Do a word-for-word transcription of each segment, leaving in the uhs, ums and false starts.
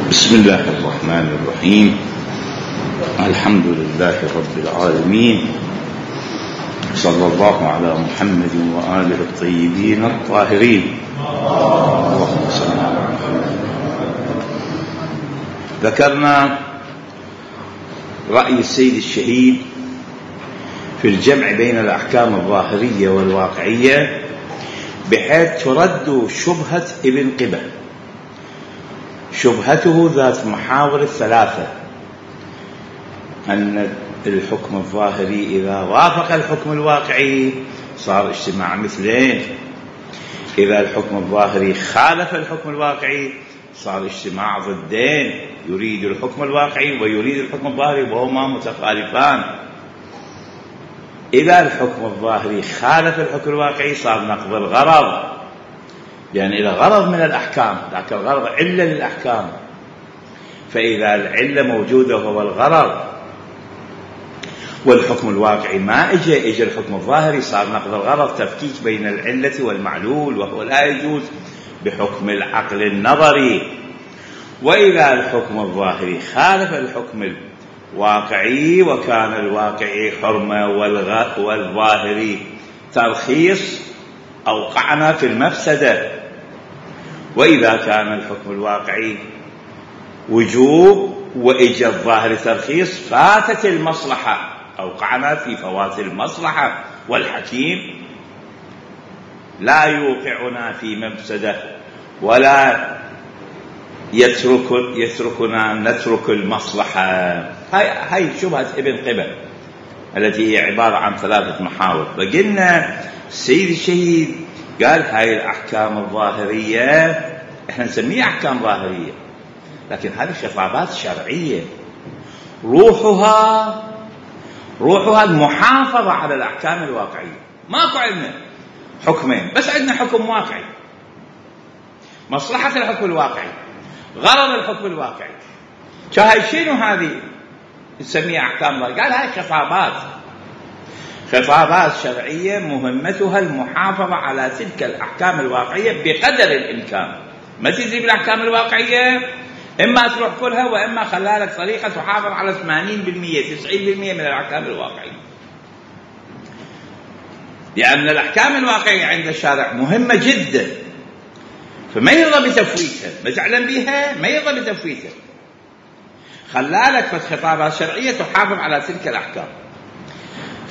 بسم الله الرحمن الرحيم. الحمد لله رب العالمين، صلى الله على محمد وآله الطيبين الطاهرين. اللهم صل على محمد. ذكرنا رأي السيد الشهيد في الجمع بين الأحكام الظاهرية والواقعية بحيث ترد شبهة ابن قبة. شبهته ذات محاور الثلاثة، أن الحكم الظاهري إذا وافق الحكم الواقعي صار اجتماع مثلين، إذا الحكم الظاهري خالف الحكم الواقعي صار اجتماع ضدين، يريد الحكم الواقعي ويريد الحكم الظاهري وهما متخالفان. إذا الحكم الظاهري خالف الحكم الواقعي صار نقض الغرض، لأن إلى غرض من الأحكام، لكن الغرض علة للأحكام، فإذا العلة موجودة وهو الغرض والحكم الواقعي ما إجا إجا الحكم الظاهري صار نقض الغرض، تفكيك بين العلة والمعلول، وهو لا يجوز بحكم العقل النظري. وإذا الحكم الظاهري خالف الحكم الواقعي وكان الواقعي حرمة والظاهري ترخيص أوقعنا في المفسدة. وإذا كان الحكم الواقعي وجوب وإجا الظاهر ترخيص فاتت المصلحة، أوقعنا في فوات المصلحة، والحكيم لا يوقعنا في مفسدة ولا يترك يتركنا نترك المصلحة. هاي هاي شبهة ابن قبة التي هي عبارة عن ثلاثة محاور. فقلنا السيد الشهيد قال هاي الأحكام الظاهرية احنا نسميها أحكام ظاهرية، لكن هذه خطابات شرعية روحها روحها المحافظة على الأحكام الواقعية. ماكو عندنا حكمين، بس عندنا حكم واقعي، مصلحة الحكم الواقعي، غرض الحكم الواقعي. شاهي شنو هذه نسميها أحكام ظاهرية؟ قال هاي خطابات خطابات شرعية مهمتها المحافظة على تلك الأحكام الواقعية بقدر الإمكان. ما تجي بالأحكام الواقعية إما تروح كلها، وإما خلالك طريقة تحافظ على ثمانين بالمئة تسعين بالمئة من الأحكام الواقعية، لأن الأحكام الواقعية عند الشارع مهمة جدا، فما يرضى بتفويتها، ما تعلم بها ما يرضى بتفويتها. خلالك فالخطابات الشرعية تحافظ على تلك الأحكام.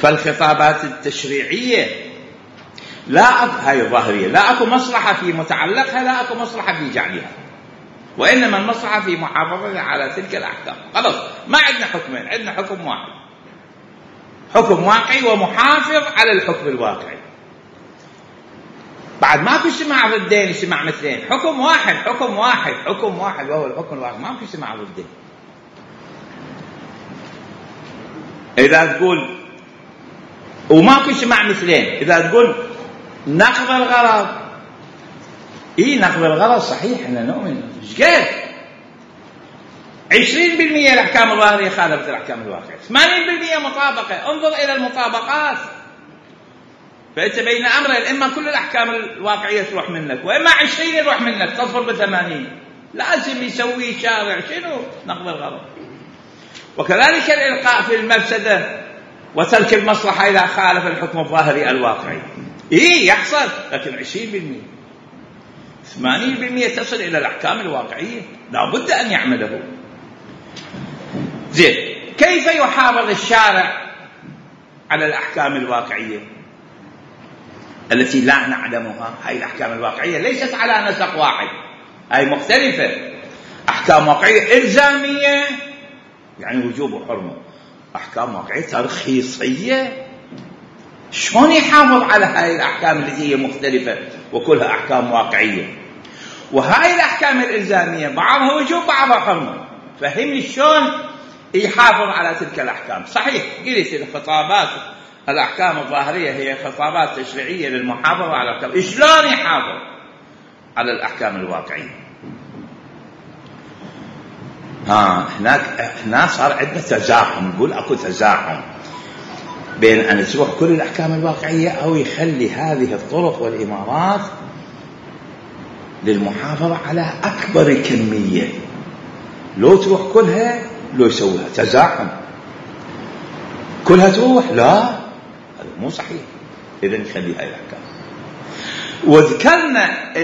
فالخطابات التشريعية لا أك... هاي الظاهرية لا أكو مصلحة في متعلقها، لا أكو مصلحة في جعلها، وإنما المصلحة في محافظة على تلك الأحكام. خلاص ما عندنا حكمين، عندنا حكم واحد، حكم واقعي ومحافظ على الحكم الواقعي. بعد ماكو اجتماع ضدين اجتماع مثلين، حكم واحد حكم واحد حكم واحد وهو الحكم الواقعي، ماكو اجتماع ضدين. إذا تقول وماكو اجتماع مثلين، إذا تقول نقض الغرض، إيه نقض الغرض صحيح احنا نؤمن، ايش قال؟ عشرين بالمئة الأحكام الظاهرية خالفت الأحكام الواقعية، ثمانين بالمئة مطابقة. انظر إلى المطابقات، فأنت بين أمرين، إما كل الأحكام الواقعية تروح منك، وإما عشرين يروح منك تظفر بثمانين. لازم يسوي شارع شنو؟ نقض الغرض. وكذلك الإلقاء في المفسدة وترك المصلحة إذا خالف الحكم الظاهري الواقعي، إيه يحصل، لكن عشرين بالمئة ثمانين بالمئة تصل إلى الأحكام الواقعية، لا بد أن يعمله. زين، كيف يحافظ الشارع على الأحكام الواقعية التي لا نعلمها؟ هاي الأحكام الواقعية ليست على نسق واحد، هاي مختلفة. أحكام واقعية إلزامية يعني وجوب وحرمة، أحكام واقعية ترخيصية. شلون يحافظ على هاي الأحكام التي هي مختلفة وكلها أحكام واقعية؟ وهاي الأحكام الإلزامية بعضها وجوب بعضها حرمة، فهمني شلون يحافظ على تلك الأحكام. صحيح قلت الخطابات الأحكام الظاهرية هي خطابات تشريعية للمحافظة على الأحكام، شلون يحافظ على الأحكام الواقعية؟ ها هناك هنا صار عندنا تزاحم، نقول اكو تزاحم بين ان تروح كل الاحكام الواقعيه او يخلي هذه الطرق والامارات للمحافظة على أكبر كمية لو تروح كلها لو يسويها تزاحم كلها تروح، لا هذا مو صحيح. إذن نخلي هاي الأحكام. وذكرنا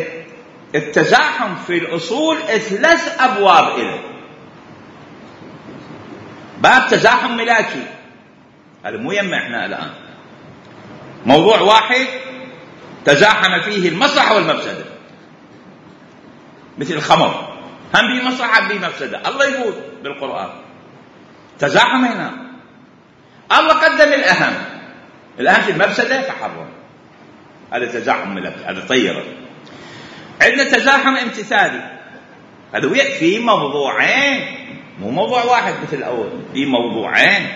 التزاحم في الأصول ثلاث أبواب إله. باب تزاحم ملاكي، هذا مو يما احنا الآن، موضوع واحد تزاحم فيه المصلحة والمفسدة، مثل الخمر، هم به مصلحة هم به مفسدة. الله يقول بالقرآن تزاحم هنا، الله قدم الأهم، الأهم في المفسدة فحرم، هذا تزاحم ملاكي، هذا طيرة. عندنا تزاحم امتثالي، هذا في موضوعين مو موضوع واحد مثل الأول، في موضوعين.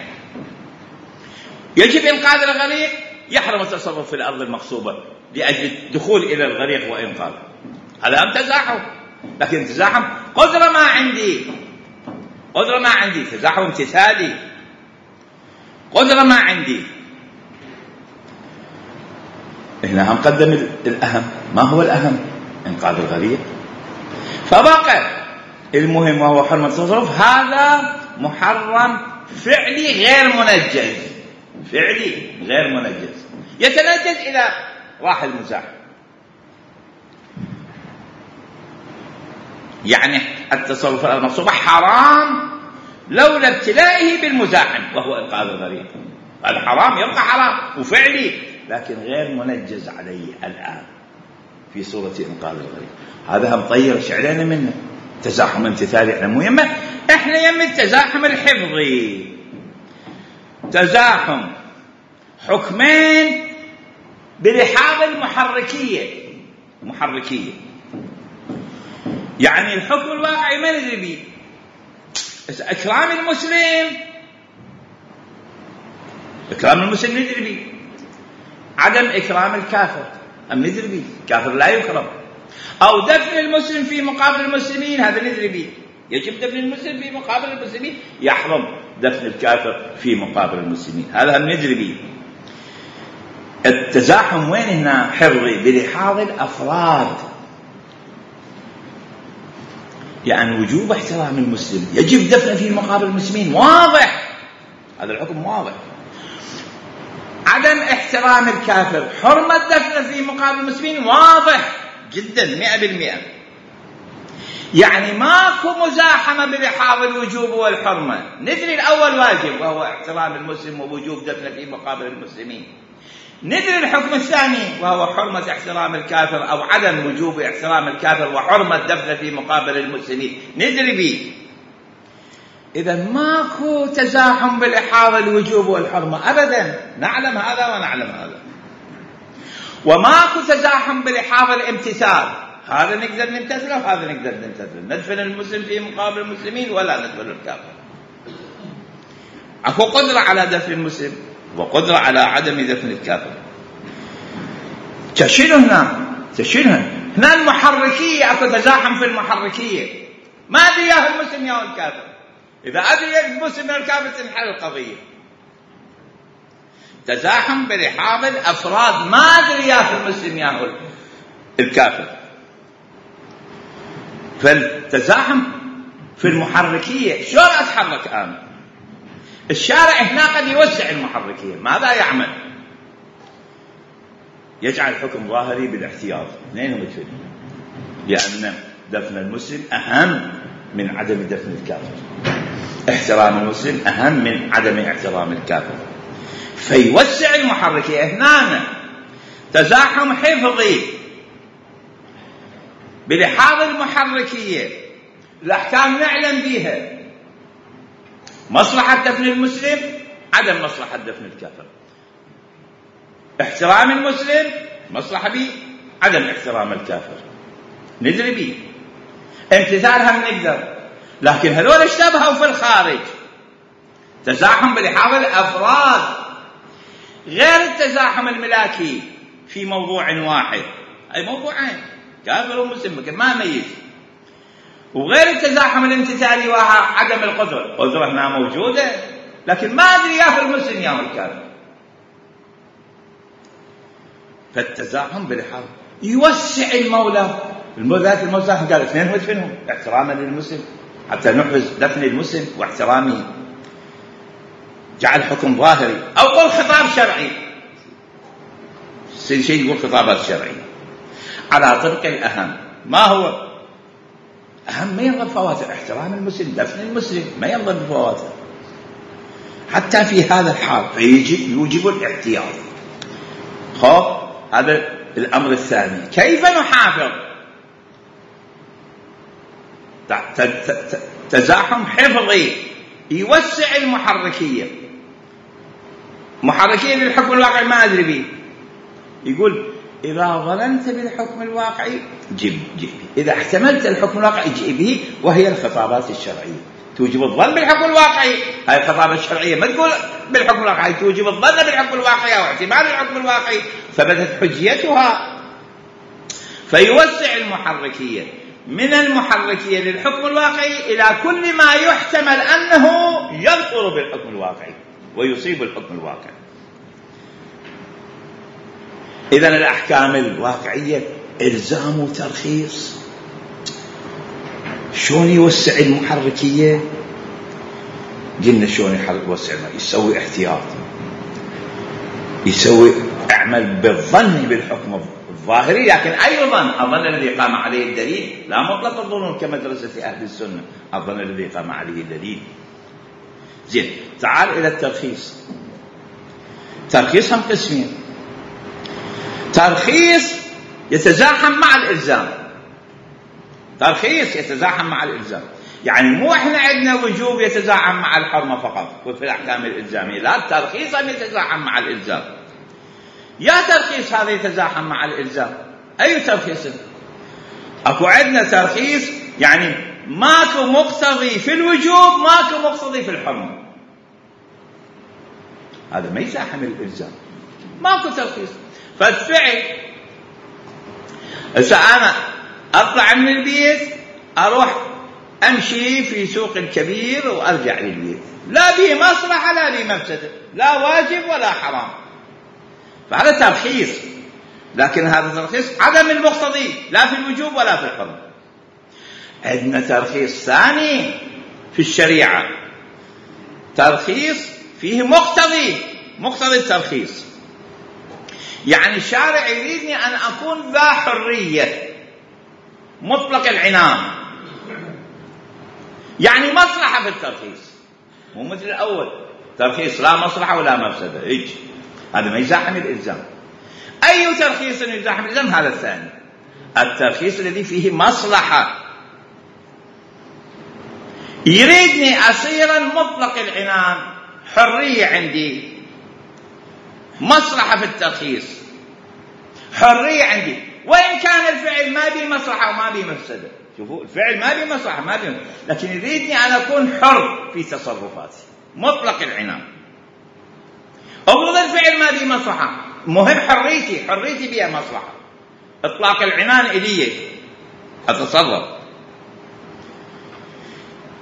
يجب إنقاذ الغريق، يحرم التصرف في الأرض المغصوبة لأجل الدخول إلى الغريق وإنقاذه، هذا هم تزاحم. لكن تزاحم قدرة ما عندي، قدرة ما عندي، تزاحم امتثالي، قدرة ما عندي. هنا هم قدم الأهم. ما هو الأهم؟ إنقاذ الغريق. فبقى المهم وهو حرمة التصرف، هذا محرم فعلي غير منجز، فعلي غير منجز، يتنجز إلى راح المزاحم. يعني التصرف المغصوبة حرام لولا ابتلائه بالمزاحم وهو إنقاذ الغريق، هذا حرام يبقى حرام وفعلي، لكن غير منجز عليه الآن في صورة إنقاذ الغريق. هذا هم طير شعرنا منه. تزاحم امتثالي احنا مو يمه، احنا يم التزاحم الحفظي، تزاحم حكمين بلحاظ المحركية، محركية يعني الحكم الواقعي ما ندري به. إكرام المسلم، إكرام المسلم ندري به، عدم إكرام الكافر أم ندري به، الكافر لا يكرم. أو دفن المسلم في مقابل المسلمين، هذا ندري به، يجب دفن المسلم في مقابل المسلمين، يحرم دفن الكافر في مقابل المسلمين، هذا هم ندري به. التزاحم وين هنا؟ حفظي بلحاظ الأفراد، يعني وجوب احترام المسلم، يجب دفنه في مقابل المسلمين، واضح، هذا الحكم واضح. عدم احترام الكافر، حرمة دفنه في مقابل المسلمين، واضح جدا مئة بالمئة. يعني ماكو مزاحمة بلحاظ الوجوب والحرمة، ندري الأول واجب وهو احترام المسلم ووجوب دفنه في مقابل المسلمين، ندري الحكم الثاني وهو حرمة احترام الكافر أو عدم وجوب احترام الكافر وحرمة دفنه في مقابل المسلمين، ندري به. إذا ماكو تزاحم بلحاظ الوجوب والحرمة أبدا، نعلم هذا ونعلم هذا. وماكو تزاحم بلحاظ الامتثال، هذا نقدر نمتثله وهذا نقدر نمتثله، ندفن المسلم في مقابل المسلمين ولا ندفن الكافر. أكو قدرة على دفن المسلم وقدرة على عدم دفن الكافر. تشيله هنا، تشيله هنا المحركية، أكو تزاحم في المحركية، ما أدري يا المسلم يا الكافر، إذا أدري المسلم يا الكافر تنحل القضية. تزاحم بلحاظ الأفراد، ما أدري يا المسلم يا الكافر. فالتزاحم في المحركية، شلون أتحرك أنا؟ الشارع هنا قد يوسع المحركية، ماذا يعمل؟ يجعل الحكم ظاهري بالاحتياط، اثنينهم يتفقون، لأن دفن المسلم أهم من عدم دفن الكافر، احترام المسلم أهم من عدم احترام الكافر، فيوسع المحركية. هنا تزاحم حفظي بلحاظ المحركية، الأحكام نعلم بها، مصلحة دفن المسلم، عدم مصلحة دفن الكافر، احترام المسلم مصلحة به، عدم احترام الكافر ندري به، امتثالها نقدر. لكن هذول اشتبهوا في الخارج، تزاحم بلحاظ الأفراد غير التزاحم الملاكي في موضوع واحد، أي موضوعين كافر ومسلم ما ميز، وغير التزاحم الامتثالي وهو عدم القدرة، القدرة هنا موجودة لكن ما أدري يا في المسلم يا الكافر. فالتزاحم بلحاظ يوسع المولى، المولى المولى قال اثنين ودفنهم احتراما للمسلم حتى نحرز دفن المسلم واحترامه. جعل حكم ظاهري أو قل خطاب شرعي، شيء يقول خطابات شرعية على طرق الأهم. ما هو أهم؟ ما ينظر فواتر احترام المسلم، دفن المسلم، ما ينظر بفواتر حتى في هذا الحال، فيجب يوجب الاحتياط. خب هذا الأمر الثاني. كيف نحافظ؟ تزاحم حفظي يوسع المحركية. محركية للحكم الواقعي ما أدري به، يقول إذا ظننت بالحكم الواقعي جيب جيب، إذا احتملت الحكم الواقعي جيب به، وهي الخطابات الشرعية توجب الظن بالحكم الواقعي. هاي الخطابات الشرعية ما تقول بالحكم الواقعي، توجب الظن بالحكم الواقعي أو احتمال الحكم الواقعي، ثبتت حجيتها. فيوسع المحركية من المحركية للحكم الواقعي إلى كل ما يحتمل أنه يظهر بالحكم الواقعي ويصيب الحكم الواقعي. إذن الأحكام الواقعية إلزام وترخيص. شلون يوسع المحركية؟ قلنا شلون يوسع؟ يسوي احتياط، يسوي اعمل بالظن بالحكم الظاهري، لكن أي ظن؟ الظن الذي قام عليه الدليل، لا مطلق الظنون كمدرسة أهل السنة، الظن الذي قام عليه الدليل. زين، تعال إلى الترخيص. ترخيص هم قسمين: ترخيص يتزاحم مع الإلزام، ترخيص يتزاحم مع الإلزام، يعني مو إحنا عندنا وجوب يتزاحم مع الحرمة فقط وفي الأحكام الإلزامية، لا، الترخيص هم يتزاحم مع الإلزام. يا ترخيص هذا يتزاحم مع الإلزام، أي ترخيص؟ أكو عندنا ترخيص يعني ماكو مقتضي في الوجوب، ماكو مقتضي في الحرمة، هذا ما يزاحم الإلزام، ماكو ترخيص. فالفعل إذا أنا أطلع من البيت أروح أمشي في سوق الكبير وأرجع للبيت، لا به مصلحة لا به مفسدة، لا واجب ولا حرام، فهذا ترخيص. لكن هذا ترخيص عدم المقتضي لا في الوجوب ولا في الحرمة. عندنا ترخيص ثاني في الشريعة، ترخيص فيه مقتضي، مقتضي الترخيص، يعني الشارع يريدني أن أكون ذا حرية مطلق العنان، يعني مصلحة في الترخيص، مو مثل الأول ترخيص لا مصلحة ولا مفسدة، إيش هذا ما يزاحم الإلزام. أي ترخيص يزاحم الإلزام؟ هذا الثاني، الترخيص الذي فيه مصلحة، يريدني أصيرا مطلق العنان، حرية عندي، مصلحة في الترخيص، حرية عندي، وإن كان الفعل ما به مصلحة وما به مفسدة. شوفوا، الفعل ما به مصلحة ما به، لكن يريدني أن أكون حر في تصرفاتي، مطلق العنان. أفرض الفعل ما به مصلحة، مهم حريتي، حريتي بها مصلحة، إطلاق العنان إلي أتصرف.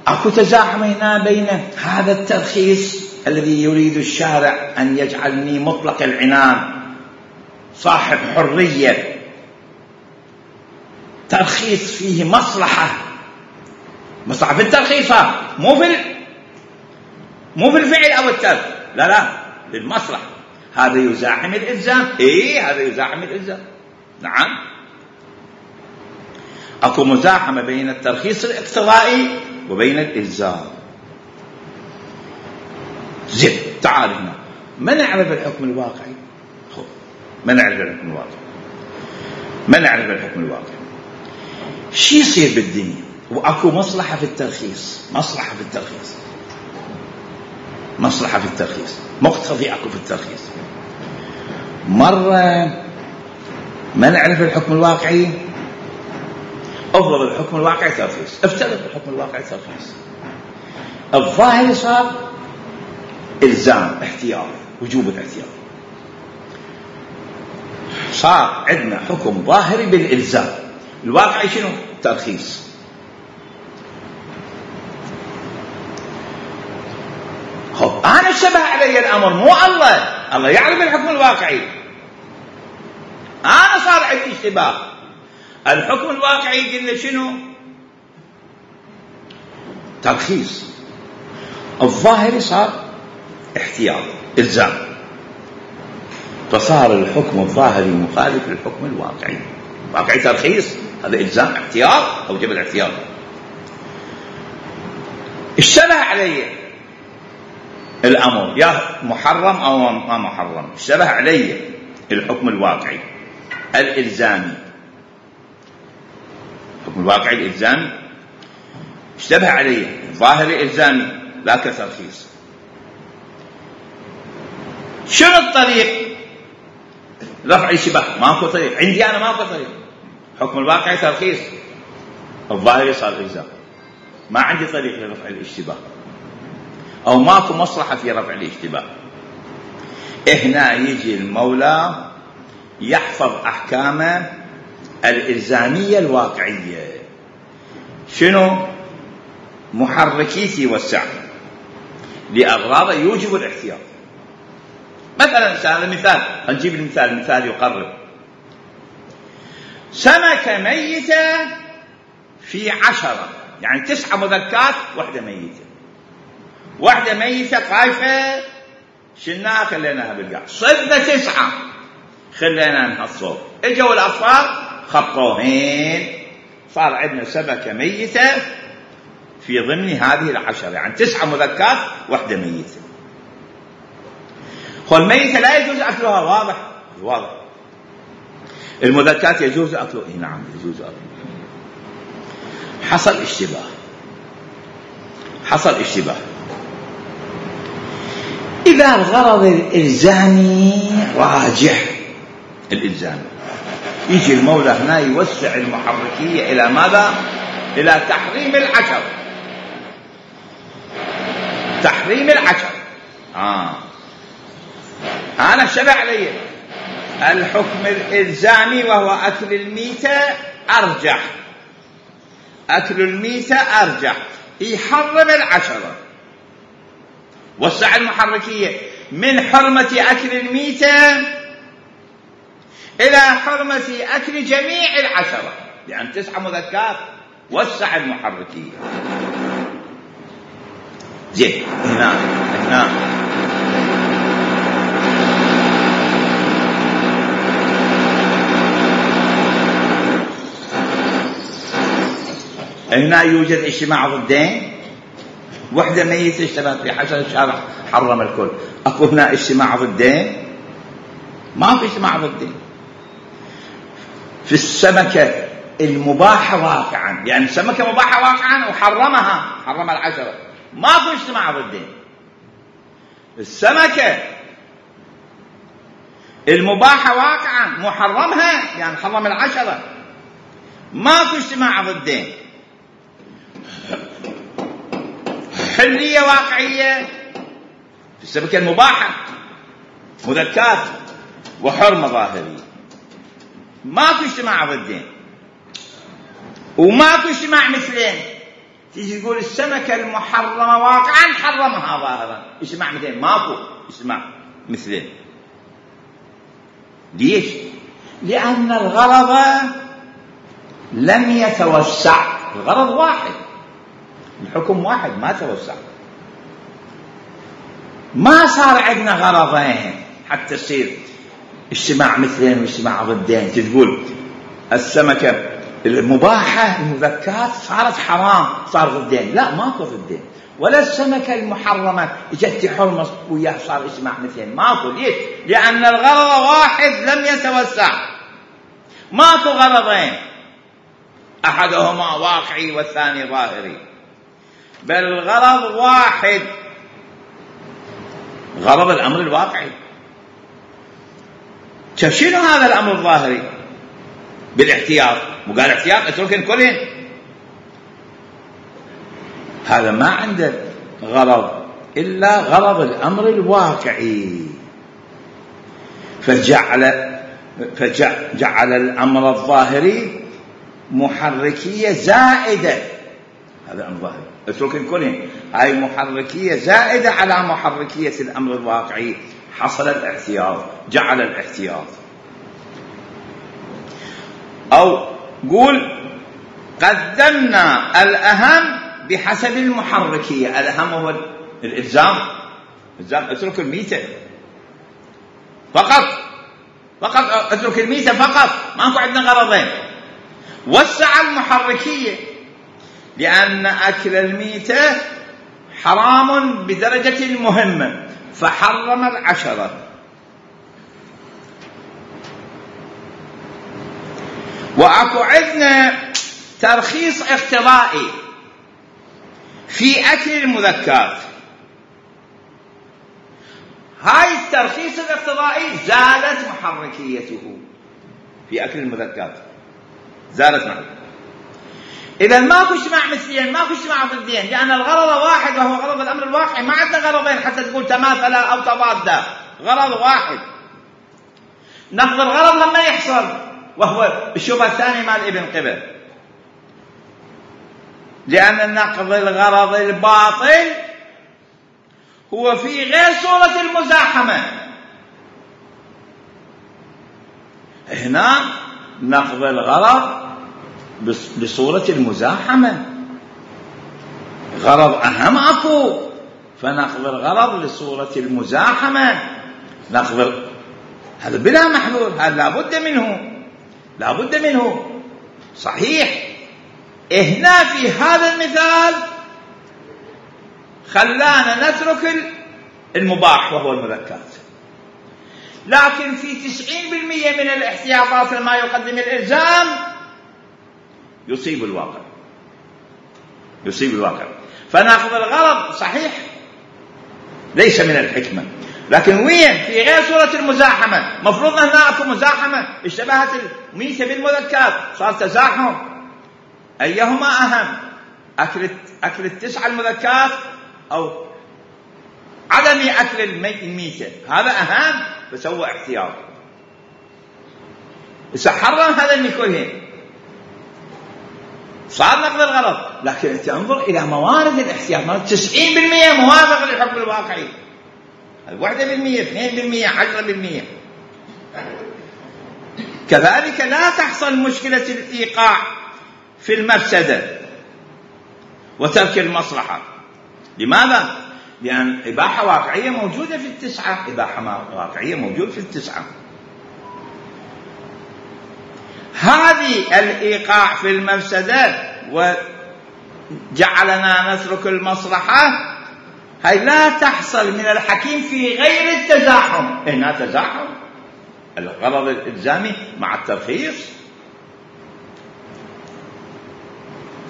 أكو تزاحم هنا بين هذا الترخيص الذي يريد الشارع أن يجعلني مطلق العنان صاحب حرية، ترخيص فيه مصلحة، مصلحة في الترخيص، مو في مو في الفعل أو الترك، لا لا، للمصلحة. هذا يزاحم الإلزام، إيه هذا يزاحم الإلزام، نعم. أكو مزاحمة بين الترخيص الاقتضائي وبين الإلزام. زين، تعال هنا، ما نعرف الحكم الواقعي. خب، ما نعرف الحكم الواقعي، ما نعرف الحكم الواقعي. شي يصير بالدنيا وأكو مصلحة في الترخيص، مصلحة في الترخيص، مصلحة في الترخيص، مقتضي أكو في الترخيص. مرة ما نعرف الحكم الواقعي، أفضل الحكم الواقعي ترخيص، افترض الحكم الواقعي ترخيص، الظاهر صار إلزام، احتياط، وجوب الاحتياط، صار عندنا حكم ظاهري بالإلزام، الواقعي شنو؟ ترخيص. خب، أنا اشتبه علي الأمر، مو الله، الله يعلم الحكم الواقعي، أنا صار عندي اشتباه. الحكم الواقعي قلنا شنو؟ ترخيص، الظاهري صار احتياط إلزام، فصار الحكم الظاهري مخالف للحكم الواقعي. واقعي ترخيص، هذا إلزام احتياط أوجب الاحتياط. اشتبه علي الأمر يا محرم أو ما محرم، اشتبه علي الحكم الواقعي الإلزامي، الحكم الواقعي الإلزامي اشتبه علي ظاهري إلزامي لا كترخيص. شنو الطريق رفع الاشتباه؟ ماكو طريق عندي أنا، ماكو طريق. حكم الواقعي ترخيص، الظاهري صار إلزام، ما عندي طريق لرفع الاشتباه أو ماكو مصلحة في رفع الاشتباه. هنا يجي المولى يحفظ أحكامه الإلزامية الواقعية. شنو؟ محركيتي والسع لأغراض يوجب الاحتياط. مثلا هذا مثال، نجيب المثال، مثال يقرب. سمكة ميتة في عشرة، يعني تسعة مذكات واحدة ميتة، واحدة ميتة طايفة، شلناها خليناها بالقاع، صدنا تسعة خلينا نحصل. اجوا الأطفال خطوهين، صار عندنا سمكة ميتة في ضمن هذه العشرة، يعني تسعة مذكات واحدة ميتة. والميتة لا يجوز أكلها، واضح واضح. المذكات يجوز أكله، نعم يجوز أكله. حصل اشتباه، حصل اشتباه. إذا الغرض الإلزامي راجح، الإلزامي يجي المولى هنا يوسع المحركية إلى ماذا؟ إلى تحريم العشر، تحريم العشر. آه أنا اشتبه علي الحكم الإلزامي وهو أكل الميتة أرجح، أكل الميتة أرجح، يحرم العشرة. وسع المحركية من حرمة أكل الميتة إلى حرمة أكل جميع العشرة، يعني تسعة مذكات، وسع المحركية. زين، هنا هنا هنا يوجد اجتماع ضدين، وحدة ميتة اشتبهت في حشر، الشارع حرم الكل. أكو هنا اجتماع ضدين؟ ما في اجتماع ضدين. في السمكة المباحة واقعا، يعني السمكة مباحة واقعا وحرمها، حرم العشرة، ما في اجتماع ضدين. السمكة المباحة واقعا محرمها، يعني حرم العشرة، ما في اجتماع ضدين. حلية واقعية في السمكة المباحة، مذكات وحرمة ظاهرية، ما في اجتماع ضدين وما في اجتماع مثلين. تيجي تقول السمكة المحرمة واقعا حرمها ظاهرا، اجتماع مثلين، ماكو اجتماع مثلين. ليش؟ لأن الغرض لم يتوسع، الغرض واحد، الحكم واحد، ما توسع، ما صار عندنا غرضين حتى يصير اجتماع مثلين واجتماع ضدين. تقول السمكة المباحة المذكات صارت حرام، صار ضدين، لا ماكو ضدين. ولا السمكة المحرمة اجت حرمة وياه صار اجتماع مثلين، ماكو. ليش؟ لأن الغرض واحد لم يتوسع، ماكو غرضين أحدهما واقعي والثاني ظاهري، بل الغرض واحد، غرض الأمر الواقعي. شنو هذا الأمر الظاهري؟ بالاحتياط، وقال احتياط اتركن كلهن، هذا ما عنده غرض إلا غرض الأمر الواقعي، فجعل فجعل الأمر الظاهري محركية زائدة، هذا أمر ظاهري اتركن كلهن، هاي محركية زائدة على محركية الأمر الواقعي، حصل الاحتياط، جعل الاحتياط. أو قول قدمنا الأهم بحسب المحركية. الأهم هو الإلزام. الإلزام اترك الميتة فقط، فقط اترك الميتة فقط، ماكو عندنا غرضين. وسع المحركية لأن أكل الميتة حرام بدرجة المهمة فحرم العشرة. وأكو عندنا ترخيص اقتضائي في أكل المذكات. هاي الترخيص الاقتضائي زالت محركيته في أكل المذكات، زالت معه. إذا ماكو اجتماع مثليين، ماكو اجتماع ضدين، لأن الغرض واحد وهو غرض الأمر الواقعي. ما عندنا غرضين حتى تقول تماثلا أو تضادا، غرض واحد. نقض الغرض لما يحصل وهو الشبهة الثانية مال ابن قبل، لأن نقض الغرض الباطل هو في غير صورة المزاحمة. هنا نقض الغرض بصورة المزاحمة، غرض أهم أكو، فنقض الغرض لصورة المزاحمة. نقض هذا بلا محلول، هذا لابد منه، لابد منه. صحيح هنا في هذا المثال خلانا نترك المباح وهو المذكات، لكن في تسعين بالمئة من الاحتياطات لما يقدم الإلزام يصيب الواقع، يصيب الواقع. فناخذ الغرض صحيح ليس من الحكمة، لكن وين في غير صورة المزاحمة. مفروض أن هناك مزاحمة، اشتبهت الميتة بالمذكات، صار تزاحم. أيهما أهم، أكل أكل التسعة المذكات أو عدم أكل الميتة؟ هذا أهم، فسوى احتياط. حرم هذا كلهن، صار نقض الغرض. لكن أنت انظر إلى موارد الاحتياط، تسعين بالمئة موافق للحكم الواقعي، واحدة بالمئة، اثنين بالمئة، عشرة بالمئة. كذلك لا تحصل مشكلة الإيقاع في المفسدة وترك المصلحة. لماذا؟ لأن إباحة واقعية موجودة في التسعة، إباحة واقعية موجودة في التسعة. هذه الإيقاع في المفسدة وجعلنا نترك المصلحة هاي لا تحصل من الحكيم في غير التزاحم. هنا تزاحم الغرض الإلزامي مع الترخيص،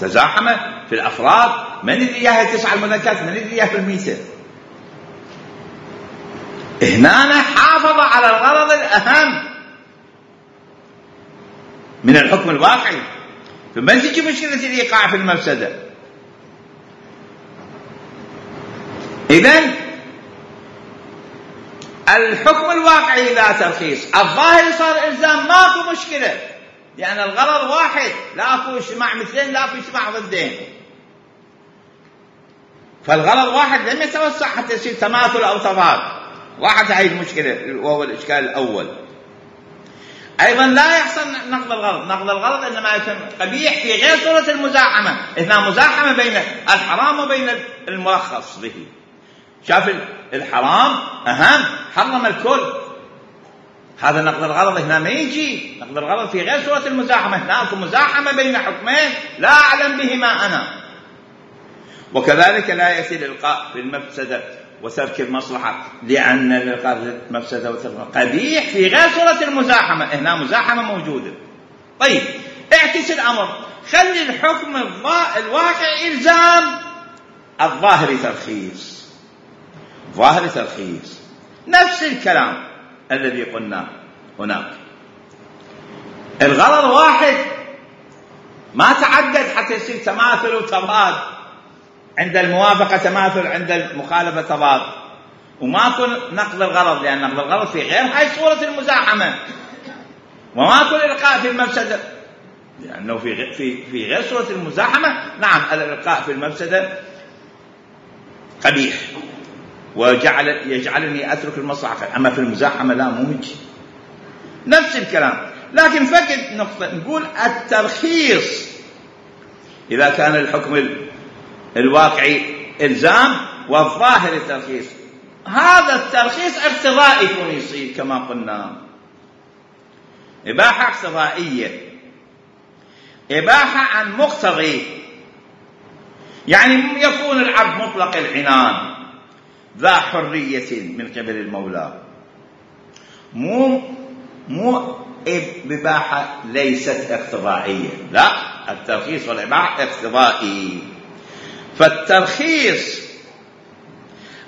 تزاحم في الأفراد. من اللي إياها تسعة المذكات، من اللي إياها في الميتة. هنا حافظ على الغرض الأهم من الحكم الواقعي، فما تجي مشكلة الإيقاع في المفسدة. إذن الحكم الواقعي لا ترخيص، الظاهر صار إلزام، ماكو مشكلة، لأن الغرض واحد، لا أكو اجتماع مثلين، لا أكو اجتماع ضدين. فالغرض واحد لم يتوسع حتى يصير تماثل أو تضاد. واحد هاي المشكلة وهو الإشكال الأول. أيضا لا يحصل نقض الغرض، نقض الغرض إنما يكون قبيح في غير صورة المزاحمة. هنا مزاحمة بين الحرام وبين المرخص به. شاف الحرام أهم، حرم الكل، هذا نقض الغرض. هنا ما يجي نقض الغرض في غير صورة المزاحمة، هناك مزاحمة بين حكمين لا أعلم بهما أنا. وكذلك لا يأتي الإلقاء في المفسدة وترك المصلحة، لأن الإلقاء في المفسدة وترك المصلحة قبيح في غير صورة المزاحمة. هنا مزاحمة موجودة. طيب اعكس الأمر، خلي الحكم الواقع إلزام، الظاهر ترخيص، ظاهر ترخيص. نفس الكلام الذي قلنا هناك، الغرض واحد، ما تعدد حتى يصير تماثل وتضاد. عند الموافقة تماثل، عند المخالفة تضاد، وماكو نقض الغرض، لأن نقض الغرض في غير هاي صورة المزاحمة، وماكو الإلقاء في المفسدة، لأنه في في في غير صورة المزاحمة. نعم الإلقاء في المفسدة قبيح وجعل يجعلني أترك المصلحة، أما في المزاحمة لا، مو هيك. نفس الكلام، لكن فقط نقطة نقول الترخيص إذا كان الحكم الواقعي إلزام والظاهر ترخيص. هذا الترخيص اقتضائي يكون يصير كما قلنا. إباحة اقتضائية، إباحة عن مقتضي، يعني يكون العبد مطلق العنان ذا حرية من قبل المولى، مو مو إباحة ليست اقتضائية، لا، الترخيص والإباحة اقتضائي. فالترخيص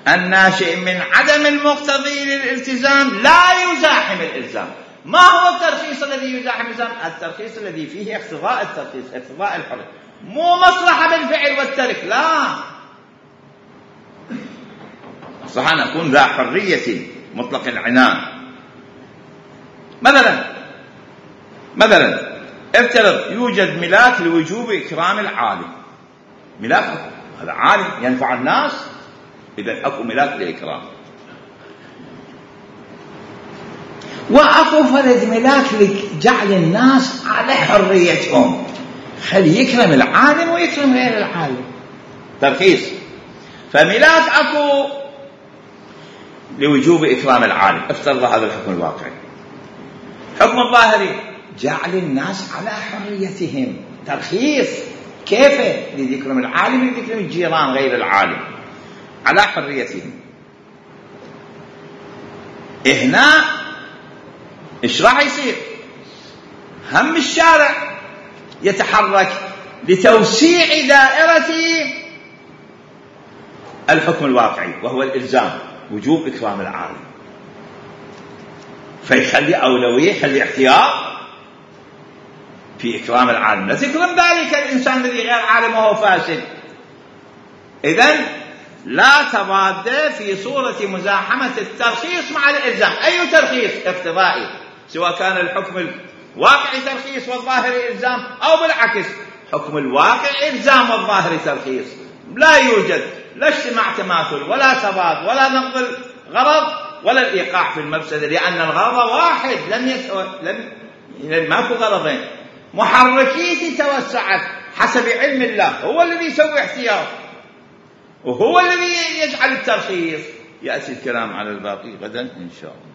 الناشئ من عدم المقتضي للالتزام لا يزاحم الإلزام. ما هو الترخيص الذي يزاحم الإلزام؟ الترخيص الذي فيه اقتضاء الترخيص، اقتضاء الحرية، مو مصلحة بالفعل والترك، لا، صح أن أكون ذا حرية مطلق العنان. مثلا مثلا افترض يوجد ملاك لوجوب إكرام العالم، ملاك هذا عالم ينفع الناس، إذا أكو ملاك لإكرام، وأكو فرد ملاك لجعل الناس على حريتهم، خلي يكرم العالم ويكرم غير العالم، ترخيص. فملاك أكو لوجوب إكرام العالم، افترض هذا الحكم الواقعي. حكم الظاهري جعل الناس على حريتهم، ترخيص، كيف لذكرم العالم لذكرم الجيران غير العالم على حريتهم. هنا ايش راح يصير؟ هم الشارع يتحرك لتوسيع دائرة الحكم الواقعي وهو الإلزام وجوب إكرام العالم، فيخلي أولوية، يخلي احتياط في إكرام العالم، لا تكرم ذلك الإنسان الذي غير عالم وهو فاسد. إذن لا تضاد في صورة مزاحمة الترخيص مع الإلزام. أي ترخيص؟ اقتضائي، سواء كان الحكم الواقعي ترخيص والظاهر إلزام، أو بالعكس حكم الواقع إلزام والظاهر ترخيص. لا يوجد لا اجتماع تماثل ولا تضاد ولا نقض الغرض ولا الإيقاع في المفسدة، لأن الغرض واحد، لم يسوى لم ماكو غرضين، محركيتي توسعت حسب علم الله، هو الذي يسوي احتياط وهو الذي يجعل الترخيص. يأتي الكلام على الباقي غدا إن شاء الله.